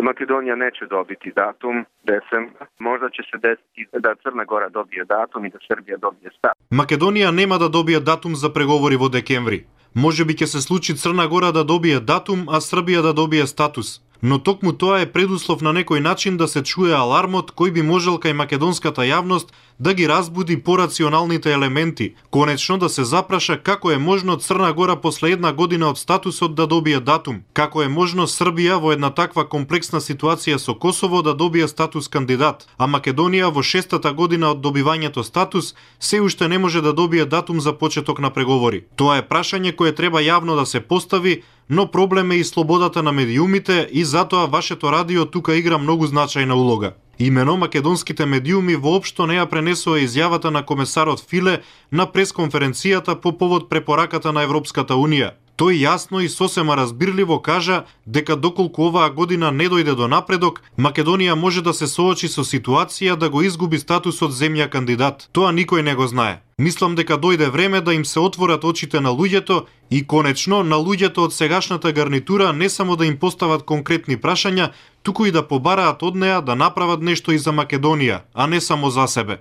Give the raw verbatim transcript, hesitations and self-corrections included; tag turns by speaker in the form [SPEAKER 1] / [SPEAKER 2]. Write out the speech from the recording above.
[SPEAKER 1] Македонија нече добити датум децембар. Можда ќе се деси да Црна Гора добие датум и да Србија добие статус.
[SPEAKER 2] Македонија нема да добие датум за преговори во декември. Можеби ќе се случи Црна Гора да добие датум, а Србија да добие статус. Но токму тоа е предуслов на некој начин да се чуе алармот кој би можел кај македонската јавност да ги разбуди порационалните елементи, конечно да се запраша како е можно Црна Гора после една година од статусот да добие датум, како е можно Србија во една таква комплексна ситуација со Косово да добие статус кандидат, а Македонија во шестата година од добивањето статус се уште не може да добие датум за почеток на преговори. Тоа е прашање кое треба јавно да се постави, но проблем е и слободата на медиумите и затоа вашето радио тука игра многу значајна улога. Имено македонските медиуми воопшто не ја пренесоа изјавата на комесарот Филе на пресконференцијата по повод препораката на Европската Унија. Тој јасно и сосема разбирливо кажа дека доколку оваа година не дојде до напредок, Македонија може да се соочи со ситуација да го изгуби статусот земја кандидат. Тоа никој не го знае. Мислам дека дојде време да им се отворат очите на луѓето и конечно на луѓето од сегашната гарнитура не само да им постават конкретни прашања, туку и да побараат од неа да направат нешто и за Македонија, а не само за себе.